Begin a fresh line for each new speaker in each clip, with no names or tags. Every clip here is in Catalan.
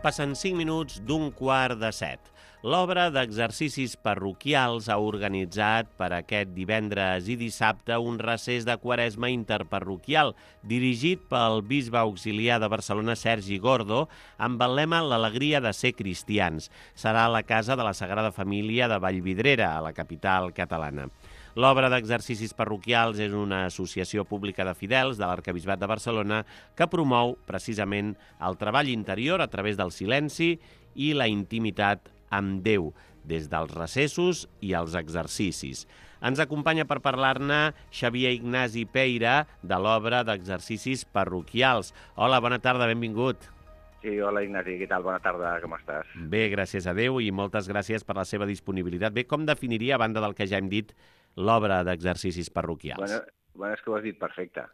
Passen 5 minuts d'15:45. L'obra d'exercicis parroquials ha organitzat per aquest divendres i dissabte un recés de Quaresma interparroquial dirigit pel bisbe auxiliar de Barcelona, Sergi Gordo, amb el lema «L'alegria de ser cristians». Serà a la Casa de la Sagrada Família de Vallvidrera, a la capital catalana. L'obra d'exercicis parroquials és una associació pública de fidels de l'Arquebisbat de Barcelona que promou precisament el treball interior a través del silenci i la intimitat amb Déu, des dels recessos i els exercicis. Ens acompanya per parlar-ne Xavier Ignasi Peira, de l'obra d'exercicis parroquials. Hola, bona tarda, benvingut.
Sí, hola Ignasi, què tal? Bona tarda, com estàs?
Bé, gràcies a Déu i moltes gràcies per la seva disponibilitat. Bé, com definiria, a banda del que ja hem dit, l'obra d'exercicis parroquials?
Bueno, és que ho has dit perfecte.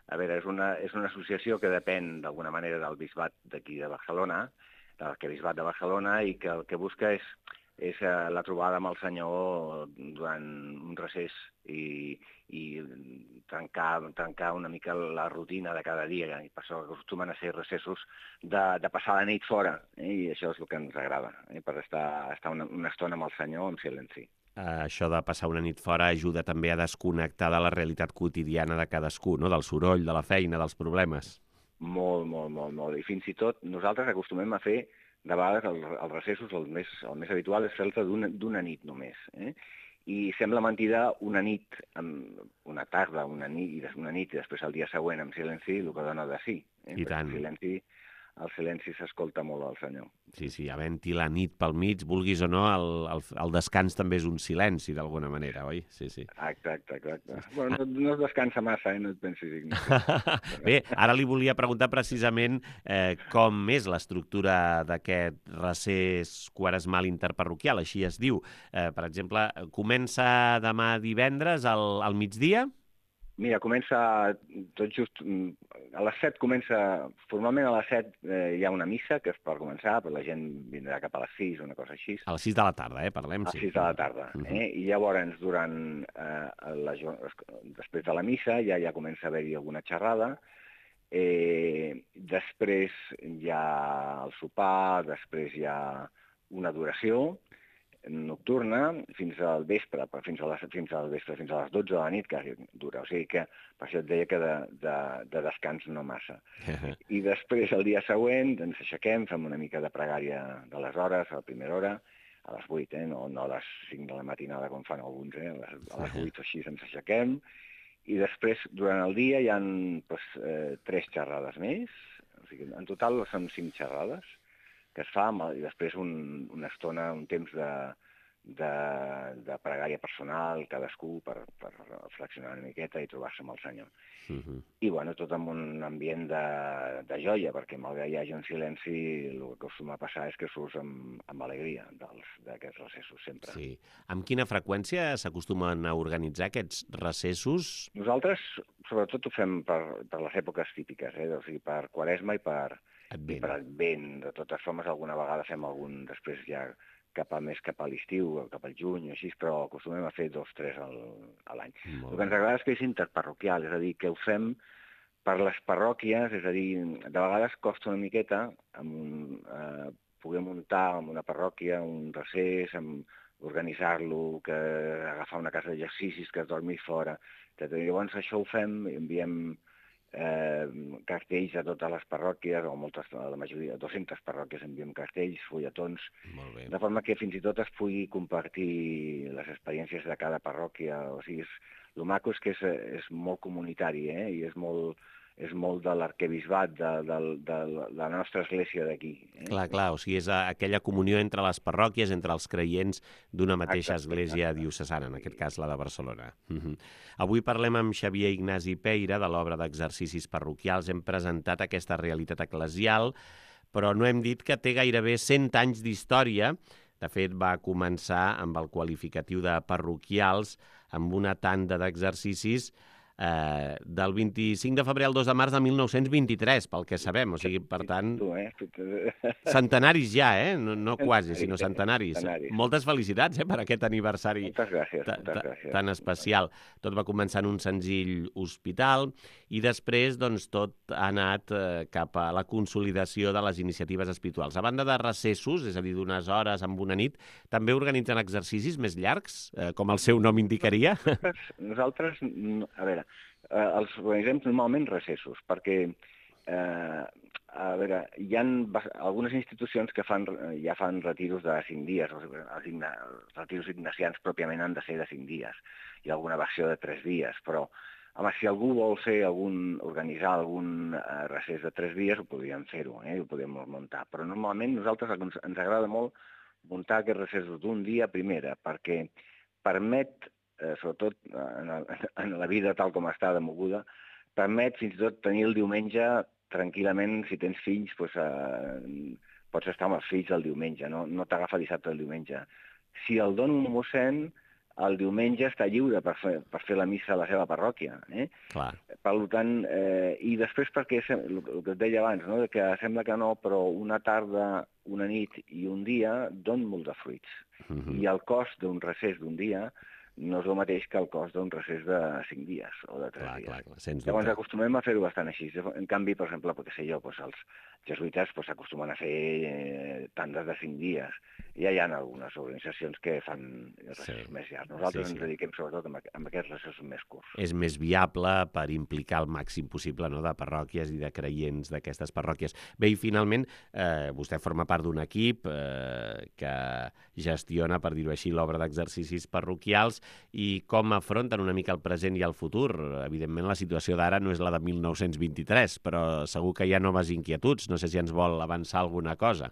A veure, és una associació que depèn d'alguna manera del bisbat d'aquí de Barcelona, de l'Arquebisbat de Barcelona, i que el que busca és la trobada amb el Senyor durant un recés i trencar una mica la rutina de cada dia. I per això acostumen a ser recessos de passar la nit fora, i això és el que ens agrada, per estar una estona amb el Senyor en silenci.
Això de passar una nit fora ajuda també a desconnectar de la realitat quotidiana de cadascú, no? Del soroll, de la feina, dels problemes.
Molt. I fins i tot nosaltres acostumem a fer, de vegades, els recessos, el més habitual és fer-te d'una nit només. I sembla mentida una nit, una tarda, una nit i després el dia següent amb silenci, el que dona de sí.
I tant.
El silenci s'escolta molt al Senyor.
Sí, havent-hi la nit pel mig, vulguis o no, el descans també és un silenci, d'alguna manera, oi? Sí.
Exacte. Bueno, no es descansa massa, no et pensis, Ignasi.
Bé, ara li volia preguntar precisament com és l'estructura d'aquest recés quaresmal interparroquial, així es diu. Per exemple, comença demà divendres al migdia?
Mira, comença tot just a les 7 formalment a les 7 hi ha una missa, que és per començar, però la gent vindrà cap a les 6 o una cosa així.
A les 6 de la tarda, parlem.
A les 6 de la tarda. I llavors, després de la missa, ja comença a haver-hi alguna xerrada, després hi ha el sopar, després hi ha una adoració nocturna fins al vespre, fins a les 12 de la nit, que dura. O sigui que per això et deia que de descans no massa. I després, el dia següent, ens aixequem, fem una mica de pregària de les hores, a la primera hora, a les 8, no a les 5 de la matinada, com fan alguns, a les 8 o així ens aixequem. I després, durant el dia, hi ha 3 xerrades més. O sigui, en total són 5 xerrades que es fa, i després una estona, un temps de pregària personal, cadascú per reflexionar una miqueta i trobar-se amb el Senyor. I, tot amb un ambient de joia, perquè malgrat hi hagi un silenci, el que acostuma a passar és que surts amb alegria d'aquests recessos, sempre.
Sí. Amb quina freqüència s'acostumen a organitzar aquests recessos?
Nosaltres, sobretot, ho fem per les èpoques típiques, o sigui, per Quaresma i per Advent. De totes formes, alguna vegada fem algun després ja cap a l'estiu, cap al juny o així, però acostumem a fer 2 o 3 a l'any. El que ens agrada és que és interparroquial, és a dir, que ho fem per les parròquies, és a dir, de vegades costa una miqueta poder muntar en una parròquia un recés, organitzar-lo, agafar una casa d'exercicis, que es dormi fora. Llavors això ho fem, enviem cartells a totes les parròquies, o la majoria, 200 parròquies enviem cartells, fulletons, de forma que fins i tot es pugui compartir les experiències de cada parròquia. O sigui, el maco és que és molt comunitari, i és molt de l'arquebisbat, de la nostra església d'aquí.
Clar, o sigui, és aquella comunió entre les parròquies, entre els creients d'una mateixa església diocesana, en aquest cas la de Barcelona. Avui parlem amb Xavier Ignasi Peira de l'obra d'exercicis parroquials. Hem presentat aquesta realitat eclesial, però no hem dit que té gairebé 100 anys d'història. De fet, va començar amb el qualificatiu de parroquials, amb una tanda d'exercicis del 25 de febrer al 2 de març de 1923, pel que sabem. O sigui, per tant, centenaris ja, no quasi, sinó centenaris. Moltes felicitats per aquest aniversari tan especial. Tot va començar en un senzill hospital i després doncs, tot ha anat cap a la consolidació de les iniciatives espirituals. A banda de recessos, és a dir, d'unes hores amb una nit, també organitzen exercicis més llargs, com el seu nom indicaria?
Nosaltres, a veure, els organitzem normalment recessos, perquè a veure, hi ha algunes institucions que ja fan retiros de 5 dies, els retiros ignacians pròpiament han de ser de 5 dies, hi ha alguna versió de 3 dies, però home, si algú vol organitzar algun recés de 3 dies, ho podríem fer-ho, ho podríem muntar, però normalment nosaltres ens agrada molt muntar aquests recessos d'un dia primera, perquè permet, sobretot en la vida tal com està de moguda, permet fins i tot tenir el diumenge tranquil·lament, si tens fills, pots estar amb els fills el diumenge, no t'agafa dissabte el diumenge. Si el dona un mossèn, el diumenge està lliure per fer la missa a la seva parròquia.
Clar.
Per tant, i després perquè, el que et deia abans, que sembla que no, però una tarda, una nit i un dia donen molt de fruits. I el cost d'un recés d'un dia no és el mateix que el cost d'un recés de 5 dies o de 3 dies.
Clar,
llavors acostumem a fer-ho bastant així. En canvi, per exemple, els jesuïtes s'acostumen a fer tandes de 5 dies. Ja hi ha algunes organitzacions que fan recessos més llargs. Nosaltres ens dediquem sobretot a aquests recessos més curts.
És més viable per implicar el màxim possible de parròquies i de creients d'aquestes parròquies. Bé, i finalment, vostè forma part d'un equip que gestiona, per dir-ho així, l'obra d'exercicis parroquials i com afronten una mica el present i el futur. Evidentment, la situació d'ara no és la de 1923, però segur que hi ha noves inquietuds. No sé si ens vol avançar alguna cosa.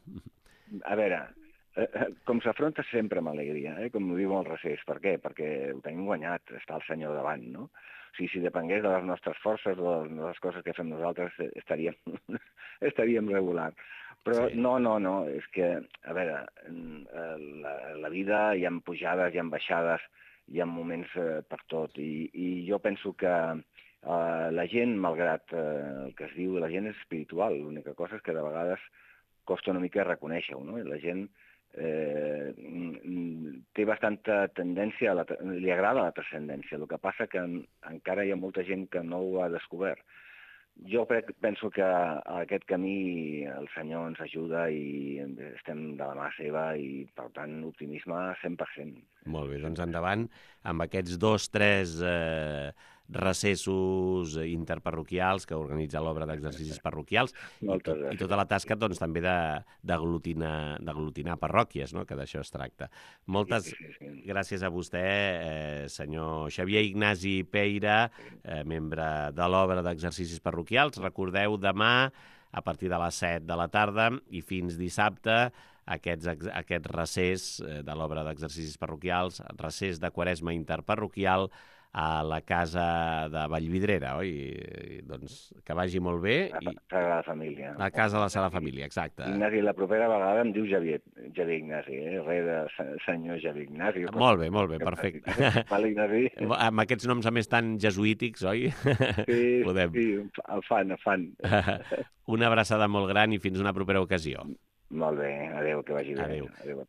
A veure, com s'afronta sempre amb alegria, com ho diu el recés. Per què? Perquè ho tenim guanyat, està el senyor davant, no? O sigui, si depengués de les nostres forces o de les coses que fem nosaltres, estaríem regulars. Però no, és que, a veure, la vida hi ha pujades, hi ha baixades, hi ha moments per tot, i jo penso que la gent, malgrat el que es diu, la gent és espiritual, l'única cosa és que de vegades costa una mica reconèixer-ho, no? I la gent té bastanta tendència, li agrada la transcendència, el que passa que encara hi ha molta gent que no ho ha descobert. Jo penso que a aquest camí el Senyor ens ajuda i estem de la mà seva i, per tant, optimisme 100%.
Molt bé, doncs endavant amb aquests 2-3 recessos interparroquials que organitza l'obra d'exercicis parroquials i tota la tasca doncs, també d'aglutinar parròquies, no? Que d'això es tracta. Moltes gràcies a vostè, senyor Xavier Ignasi Peira, membre de l'obra d'exercicis parroquials. Recordeu, demà, a partir de les 7 de la tarda i fins dissabte, aquest recés de l'obra d'exercicis parroquials, recés de Quaresma interparroquial, a la casa de Vallvidrera, oi? Doncs que vagi molt bé.
A Sagrada Família.
A casa de la Sagrada Família, exacte.
Ignasi, la propera vegada em diu Xavier Ignasi, res de senyor Xavier Ignasi.
Molt bé, perfecte.
Vale, Ignasi.
Amb aquests noms, a més, tan jesuítics, oi?
Sí, el fan.
Una abraçada molt gran i fins una propera ocasió.
Molt bé, adéu, que vagi bé.
Adéu.